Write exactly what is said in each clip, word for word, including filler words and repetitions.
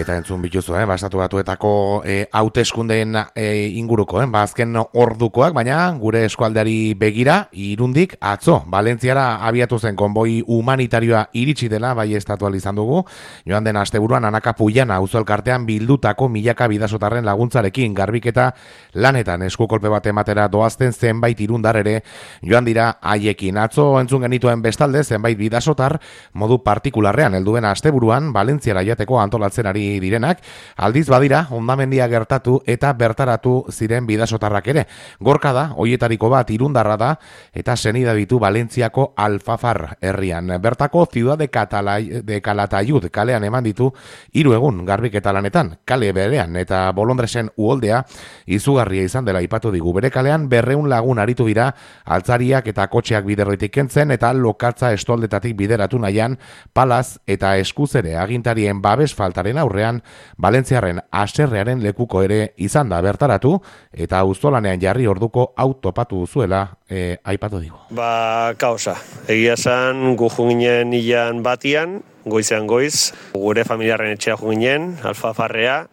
eta entzun bituzu, eh? ba, Estatu Batuetako eh, hauteskundeen eh, inguruko, eh? ba, azken ordukoak, baina gure eskualdeari begira, Irundik atzo, Valentziara abiatu zen konboi humanitarioa iritsi dela, bai estatu izan dugu, joan den asteburuan Anaka Pullana auzo elkartean bildutako milaka bidasotarren laguntzarekin garbiketa lanetan eskukolpe bat ematera doazten zenbait irundar ere joan dira haiekin. Atzo entzun genituen bestalde zenbait bidasotar modu partikularrean helduen asteburuan Valentziara jateko antolatzen ari direnak, aldiz badira hondamendia gertatu eta bertaratu ziren bidasotarrak ere. Gorka da, hoietariko bat irundarra da eta senida ditu Valentziako Alfafar herrian. Bertako Ciudad de, Catalay, de Calatayud kalean eman ditu hiru egun garbiketa lanetan, kale berean eta Bolondresen uholdea izugarria izan dela aipatu digu. Bere kalean berreun lagun aritu dira altzariak eta kotxeak biderroitik kentzen eta lokatza estoldetatik bideratu nahian palaz eta eskuzere agintarien babes faltaren aurrean Valentziarren aserrearen lekuko ere izan da bertaratu eta auzolanean jarri orduko autopatu duzuela e, aipatu digu. Ba, kausa. Egia esan gu junginen ilan batian, goizean goiz, gure familiarren etxea junginen, Alfafarrea,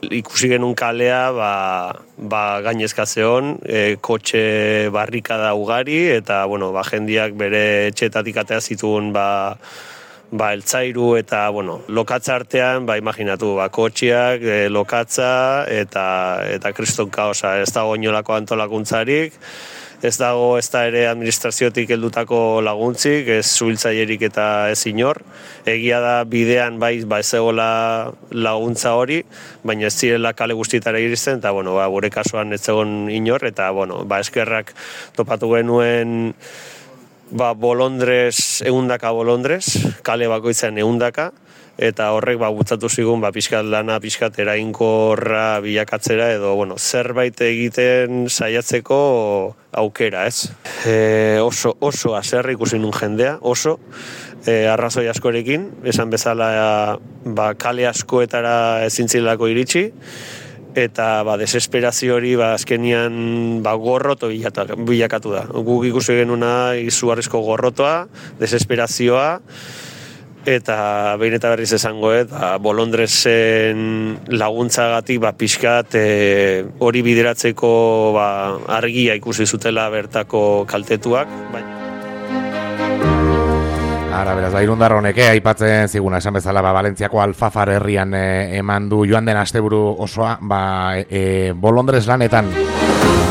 ikusi genuen kalea ba, ba gainezka zeon, e, kotxe barrikada ugari eta bueno, ba, jendiak bere etxeetatik atea zituen ba, ba, eltzairu eta bueno, lokatza artean, ba, imaginatu, ba, kotxeak, e, lokatza eta, eta kriston kaosa, ez dago inolako antolakuntzarik, ez dago ez da ere administraziotik heldutako laguntzik, ez zuhiltzailerik eta ez inor. Egia da bidean bai ba ez egola laguntza hori, baina ez zirela kale guztietara iristen, eta bueno, ba, gure kasuan ez egon inor, eta bueno, ba, eskerrak topatu genuen ba, bolondrez, eundaka bolondrez, kale bakoitzan eundaka, eta horrek ba bultzatu zigun ba pixkat lana pixkat eraginkorra bilakatzera edo bueno, zerbait egiten saiatzeko aukera, ez? E, oso oso haserre ikusi nun jendea, oso e, arrazoi askorekin, esan bezala ba kale askoetara ezintzilako iritsi eta ba desesperazio hori ba azkenian ba gorroto bilakatu da. Guk ikusi genuna izugarrizko gorrotoa, desesperazioa eta behin eta berriz esangoet, ba, Bolondresen laguntzagatik ba, pixkat e, hori bideratzeko ba, argia ikusi zutela bertako kaltetuak. Baina Ara, beraz, ba, irundar honek, aipatzen ziguna, esan bezala, ba, Valentziako Alfafar herrian e, eman du joan den asteburu osoa, ba, e, Bolondres lanetan.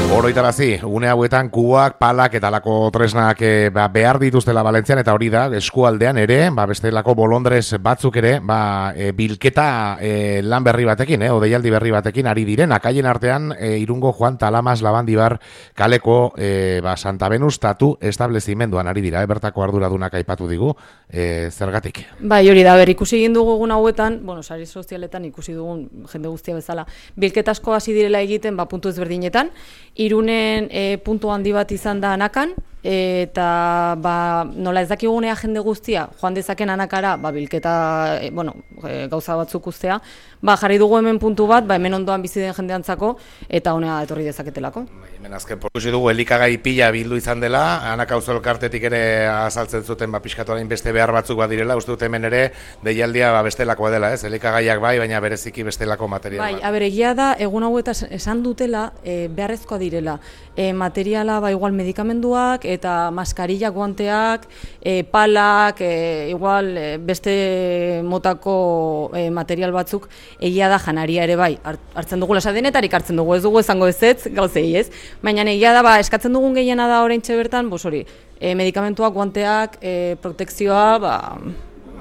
Oroitarazi, une hauetan kuboak, palak eta lako tresnak e, ba, behar dituztela Valentzian eta hori da, eskualdean ere, ba, beste lako Bolondres batzuk ere, ba, e, bilketa e, lan berri batekin, eh, odeialdi berri batekin ari direnak. Haien artean, e, Irungo Juan Talamas Labandibar kaleko e, ba, Santa Venus tatu establezimenduan ari dira, e, bertako arduradunak aipatu digu, e, zergatik. Bai, hori da, ber, ikusi egin dugu egun hauetan, bueno, sari sozialetan ikusi dugun jende guztia bezala, bilketa asko hasi direla egiten, ba, puntu ezberdinetan, Irunen e, puntu handi bat izan da Anakan, eta ba, nola ez dakigunea jende guztia, joan dezaken Anakara, ba, bilketa, e, bueno, e, gauza batzuk ustea, ba, jarri dugu hemen puntu bat, ba, hemen ondoan bizi den jendeantzako, eta honea etorri dezaketelako. Hemen azken portuzi dugu, elikagai pila bildu izan dela, Anaka auzo elkartetik ere azaltzen zuten, ba, pixkatorain beste behar batzuk badirela, uste dut hemen ere, deialdia ba, bestelakoa dela, ez? Elikagaiak bai, baina bereziki bestelako materiala. Bai, aber, egia da, egun hauetan esan dutela, e, beharrezkoa direla, e, materiala, ba, igual medikamenduak, eta maskarilla, guanteak, e, palak, e, igual e, beste motako e, material batzuk, egia da janaria ere bai, hartzen dugu lasadenetarik hartzen dugu, ez dugu esango ez ez, gauzei ez, baina egia da, ba, eskatzen dugun gehiena da oraintxe bertan, bos hori, e, medikamentuak, guanteak, e, protekzioa, ba,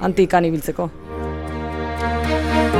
antikan ibiltzeko.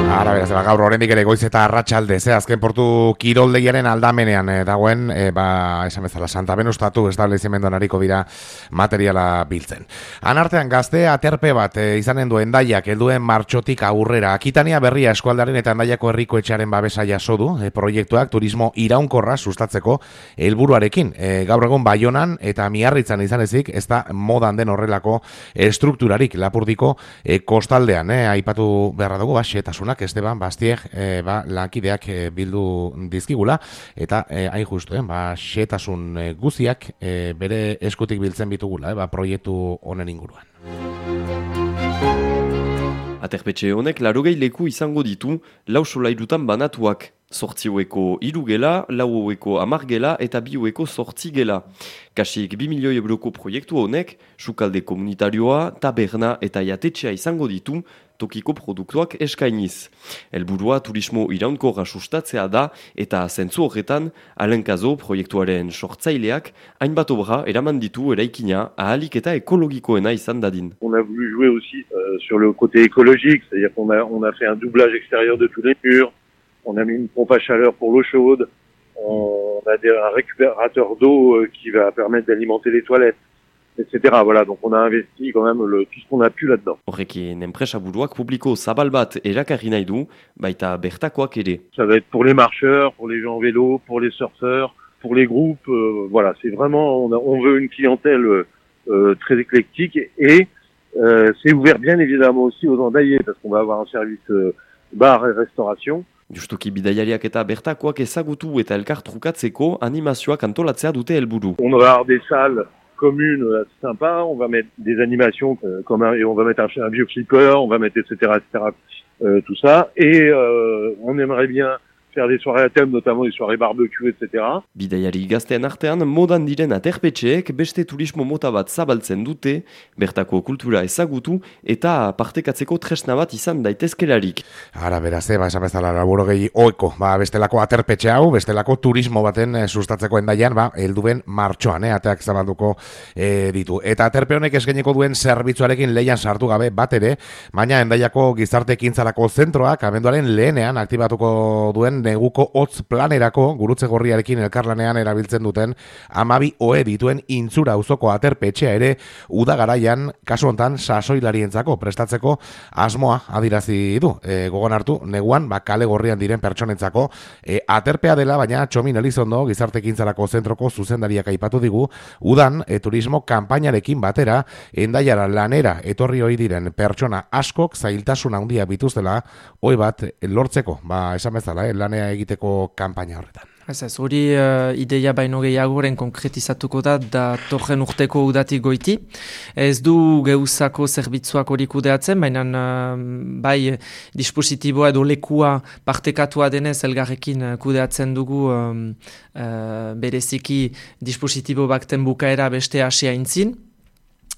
Ara, beraz, ba, gaur oraindik ere goiz eta arratsalde, ze azken portu kiroldegiaren aldamenean eh, dagoen, eh, ba, esan bezala, Santa Venus tatu establezimenduan ariko dira materiala biltzen. Han artean gazte aterpe bat eh, izanen duen Hendaiak helduen martxotik aurrera. Akitania berria eskualdaren eta Hendaiako herriko etxearen babesa jaso du, eh, proiektuak turismo iraunkorra sustatzeko helburuarekin. Eh, gaur egun Baionan eta Miarritzan izan ezik, ez da modan den horrelako estrukturarik Lapurdiko eh, kostaldean, eh, aipatu beharra dugu, ba, xetasunak Esteban Bastieg e, ba, lankideak e, bildu dizkigula eta e, hain justu, eh, ba, xetasun e, guziak e, bere eskutik biltzen bitugula, eh, ba, proiektu honen inguruan. Aterpetxe honek larogei leku izango ditu lau solairutan banatuak. Zortziueko hiru gela, laueko hamar gela eta biueko zortzi gela. Kasik bi milioi euroko proiektu honek, sukalde komunitarioa, taberna eta jatetxea izango ditu tokiko produktuak eskainiz. Helburua turismo iraunkorra sustatzea da eta zentzu horretan, Alenkazo proiektuaren sortzaileak hainbat obra eraman ditu eraikina ahalik eta ekologikoena izan dadin. On a voulu jouer aussi euh, sur le côté écologique, c'est-à-dire qu'on a, on a fait un doublage extérieur de tous les murs. On a mis une pompe à chaleur pour l'eau chaude. On a des, un récupérateur d'eau euh, qui va permettre d'alimenter les toilettes, et cetera. Voilà, donc on a investi quand même le, tout ce qu'on a pu là-dedans. Horrekin enpresa buruak publiko zabal bat erakarri nahi du, baita bertakoak ere. Ça va être pour les marcheurs, pour les gens en vélo, pour les surfeurs, pour les groupes. Euh, voilà, c'est vraiment, on, a, on veut une clientèle euh, très éclectique et euh, c'est ouvert bien évidemment aussi aux endaillés parce qu'on va avoir un service euh, bar et restauration. Justuki bidaiariak eta bertakoak ezagutu eta elkar trukatzeko animazioak antolatzea dute helburu. On va avoir des salles communes assez sympas, on va mettre des animations comme un, et on va mettre un, un vieux flipper, on va mettre et cetera et cetera euh, tout ça et euh, on aimerait bien faire des soirées à thème, notamment des soirées barbecue, et cetera. Bidaiari gaztean artean, modan diren aterpetxeek beste turismo mota bat zabaltzen dute, bertako kultura ezagutu eta partekatzeko tresna bat izan daitezkelarik. Ara, beraz, ba, esan bezala, laburo gehi oeko, ba, bestelako aterpetxe hau, bestelako turismo baten eh, sustatzeko endaian, ba, helduen martxoan, eh, ateak zabalduko eh, ditu. Eta aterpe honek eskainiko duen zerbitzuarekin leian sartu gabe bat ere, baina endaiako gizarte ekintzarako zentroak abenduaren lehenean aktibatuko duen neguko hotz planerako gurutze gorriarekin elkarlanean erabiltzen duten amabi oe dituen intzura auzoko aterpetxea ere uda garaian kasu hontan sasoilarientzako prestatzeko asmoa adirazi du. E, gogon hartu, neguan ba, kale gorrian diren pertsonentzako e, aterpea dela, baina Txomin Elizondo gizarte ekintzarako zentroko zuzendariak aipatu digu udan e, turismo kanpainarekin batera endaiara lanera etorri ohi diren pertsona askok zailtasun handia bituztela oe bat lortzeko, ba esan bezala, eh, lanea egiteko kanpaina horretan. Ez ez, hori uh, ideia baino gehiagoren konkretizatuko da datorren urteko udatik goiti. Ez du geuzako zerbitzuak hori kudeatzen, baina uh, bai dispositiboa edo lekua partekatua denez elgarrekin kudeatzen dugu um, uh, bereziki dispositibo bakten bukaera beste asia intzin.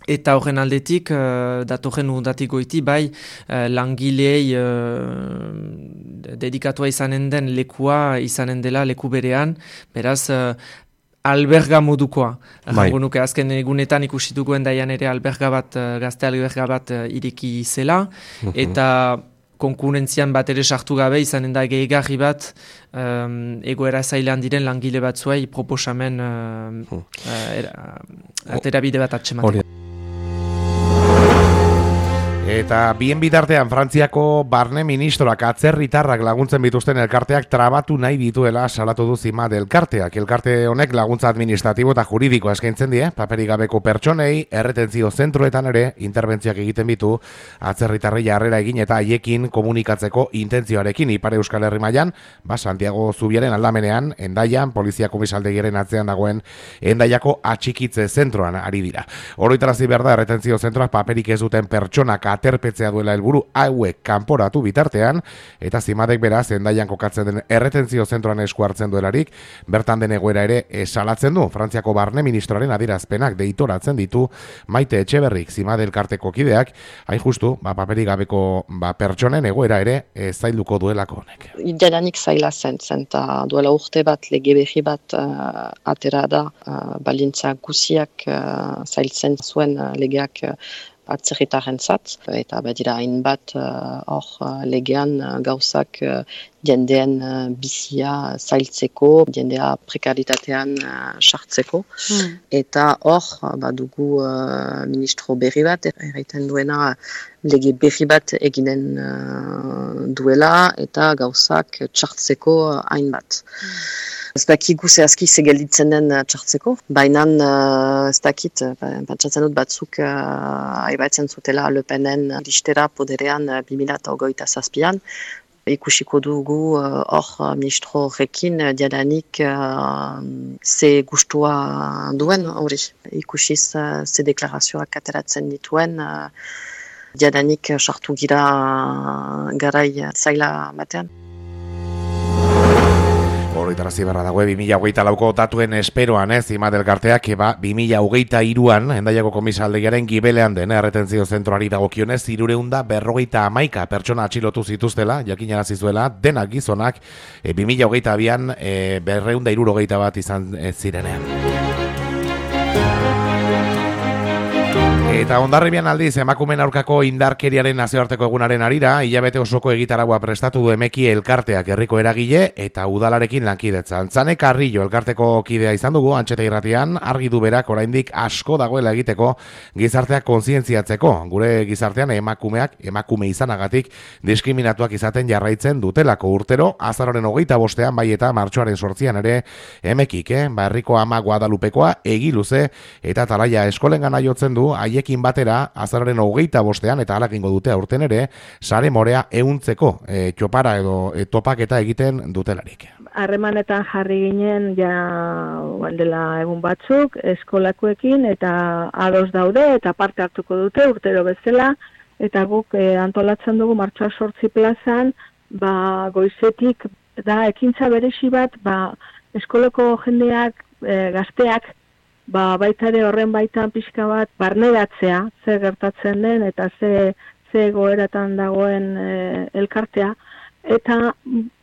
Eta horren aldetik, uh, datorren udatik goiti, bai uh, langilei uh, dedikatua izanen den lekua izanen dela leku berean, beraz uh, alberga modukoa. Bai. Nuke, azken egunetan ikusi duguen daian ere alberga bat, uh, gazte alberga bat uh, ireki zela, uh-huh. Eta konkurentzian bat ere sartu gabe izanen da gehigarri bat um, egoera zailan diren langile batzuei proposamen uh, uh, uh, aterabide bat atxematen. Eta bien bitartean Frantziako barne ministroak atzerritarrak laguntzen bituzten elkarteak trabatu nahi dituela salatu du Cimade elkarteak. Elkarte honek laguntza administratibo eta juridikoa eskaintzen die, paperik gabeko pertsonei, erretentzio zentroetan ere interbentziak egiten bitu atzerritarrei jarrera egin eta haiekin komunikatzeko intentzioarekin Ipar Euskal Herri mailan, ba Santiago Zubiaren aldamenean, Endaian, polizia komisaldegiaren atzean dagoen Endaiako atxikitze zentroan ari dira. Oroitarazi behar da erretentzio zentroak paperik ez duten pertsonak aterpetzea duela helburu hauek kanporatu bitartean, eta Cimadek beraz Endaian kokatzen den erretentzio zentroan esku hartzen duelarik, bertan den egoera ere esalatzen du. Frantziako barne ministroaren adierazpenak deitoratzen ditu Maite Etxeberrik, Cimade elkarteko kideak, hain justu, ba, paperik gabeko ba, pertsonen egoera ere e, zailduko duelako honek. Jadanik zaila zen, zen ta duela urte bat lege berri bat uh, atera da, uh, balintza guziak uh, zailtzen zuen uh, legeak uh, atzerritarrentzat, eta badira hainbat hor uh, legean uh, gauzak uh, jendeen uh, bizia zailtzeko, jendea prekaritatean uh, sartzeko, hmm. Eta hor uh, badugu uh, ministro berri bat, erraiten duena lege berri bat eginen uh, duela, eta gauzak txartzeko hainbat. Hmm. Ez dakigu zehazki segelditzen den txartzeko, baina uh, ez dakit, patxatzen dut batzuk uh, aibatzen zutela Le Penen listera poderean uh, bi mila hogeita zazpian, ikusiko dugu hor uh, ministro horrekin uh, diadanik uh, ze gustua duen hori. Ikusiz uh, ze deklarazioak ateratzen dituen, uh, jadanik sartu gira garai zaila batean. Horritarazi berra dago, bi mila hogeita lauko datuen esperoan, ez, Imad elkarteak, eba, bi mila hogeita iruan, Hendaiako komisaldegiaren gibelean den, erretentzio zentroari dagokionez, irureunda berrogeita amaika pertsona atxilotu zituztela, jakinarazi zuela, denak gizonak, e, bi mila hogeita abian, e, berreunda irurogeita bat izan e, zirenean. Eta Hondarribian aldiz, emakumeen aurkako indarkeriaren nazioarteko egunaren arira, hilabete osoko egitaragua prestatu du Emeki elkarteak herriko eragile eta udalarekin lankidetzan. Tzane Carrillo elkarteko kidea izan dugu, Antxeta Irratian, argi du berak oraindik asko dagoela egiteko gizarteak kontzientziatzeko. Gure gizartean emakumeak, emakume izanagatik, diskriminatuak izaten jarraitzen dutelako urtero, azaroren hogeita bostean, bai eta martxoaren sortzian ere, Emekik, eh? ba, herriko ama Guadalupekoa egiluze eta talaia eskolengana jotzen du, haiekin batera, azaroren hogeita bostean, eta halakingo dute aurten ere, sare morea ehuntzeko e, txopara edo e, topaketa egiten dutelarik. Harremanetan jarri ginen ja dela egun batzuk eskolakoekin eta ados daude eta parte hartuko dute urtero bezala, eta guk e, antolatzen dugu martxoak sortzi plazan, ba, goizetik da ekintza berezi bat, ba, eskolako jendeak, e, gazteak, ba, baita ere horren baitan pixka bat barneratzea, ze gertatzen den eta ze, ze goeratan dagoen e, elkartea, eta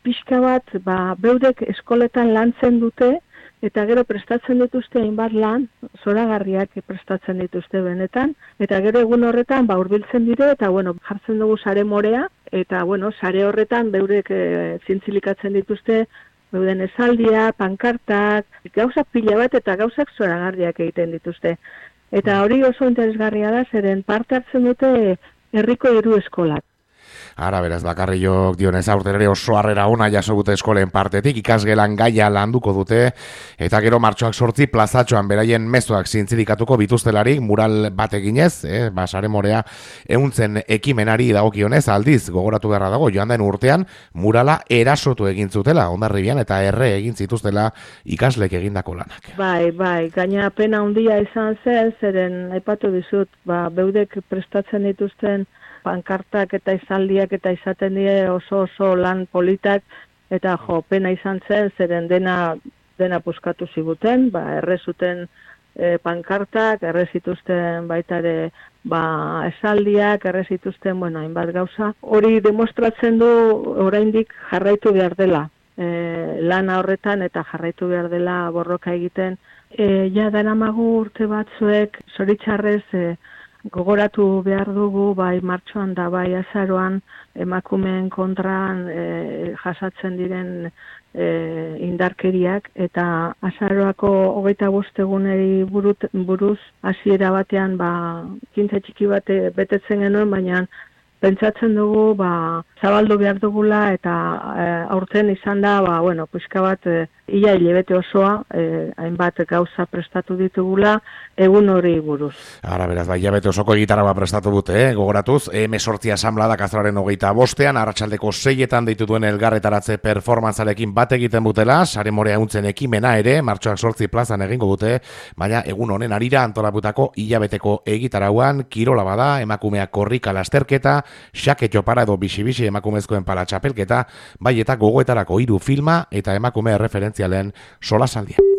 pixka bat ba, beudek eskoletan lantzen dute, eta gero prestatzen dituzte hainbat lan, zoragarriak prestatzen dituzte benetan, eta gero egun horretan ba, hurbiltzen dire, eta bueno, jartzen dugu sare morea, eta bueno, sare horretan beudek e, zintzilikatzen dituzte, beuden esaldia, pankartak, gauzak pila bat eta gauzak zoragarriak egiten dituzte. Eta hori oso interesgarria da, zeren parte hartzen dute herriko hiru eskolak. Ara, beraz, Bakarriok dionez aurten ere oso harrera ona jaso dute eskolen partetik, ikasgelan gaia landuko dute, eta gero martxoak sortzi plazatxoan beraien mezuak zintzilikatuko bituztelarik, mural bat eginez, eh, ba, sare morea ehuntzen ekimenari dagokionez, aldiz, gogoratu beharra dago, joan den urtean, murala erasotu egin zutela, Hondarribian, eta erre egin zituztela ikaslek egindako lanak. Bai, bai, gaina pena handia izan zen, zeren aipatu dizut, ba, beudek prestatzen dituzten pankartak eta izaldiak eta izaten die oso oso lan politak, eta jo, pena izan zen, zeren dena, dena puskatu ziguten, ba, erre zuten e, pankartak, erre zituzten baita ere ba, esaldiak, erre zituzten, bueno, hainbat gauza. Hori demostratzen du oraindik jarraitu behar dela, e, lana horretan eta jarraitu behar dela borroka egiten. E, ja, daramagu urte batzuek, zoritxarrez, e, gogoratu behar dugu, bai martxoan da bai azaroan emakumeen kontran e, jasatzen diren e, indarkeriak, eta azaroako hogeita bost eguneri buruz hasiera batean ba, kintza txiki bate betetzen genuen, baina pentsatzen dugu ba, zabaldu behar dugula, eta e, aurten izan da, ba, bueno, pixka bat e, ia hilabete osoa, e, hainbat gauza prestatu ditugula, egun hori buruz. Ara, beraz, bai, hilabete osoko egitaragua prestatu dute, eh? Gogoratuz, emesortzi asamladak azararen hogeita bostean, arratsaldeko seietan deitu duen elgarretaratze performantzarekin bat egiten butela, sare morea ehuntzen ekimena ere, martxoak sortzi plazan egingo dute, baina egun honen arira antolaputako hilabeteko egitarauan, kirola bada, emakumeak korrika lasterketa, xake txopara edo bixi-bixi emakumezkoen pala txapelketa, bai eta gogoetarako hiru filma eta emakume referentzialen solasaldia.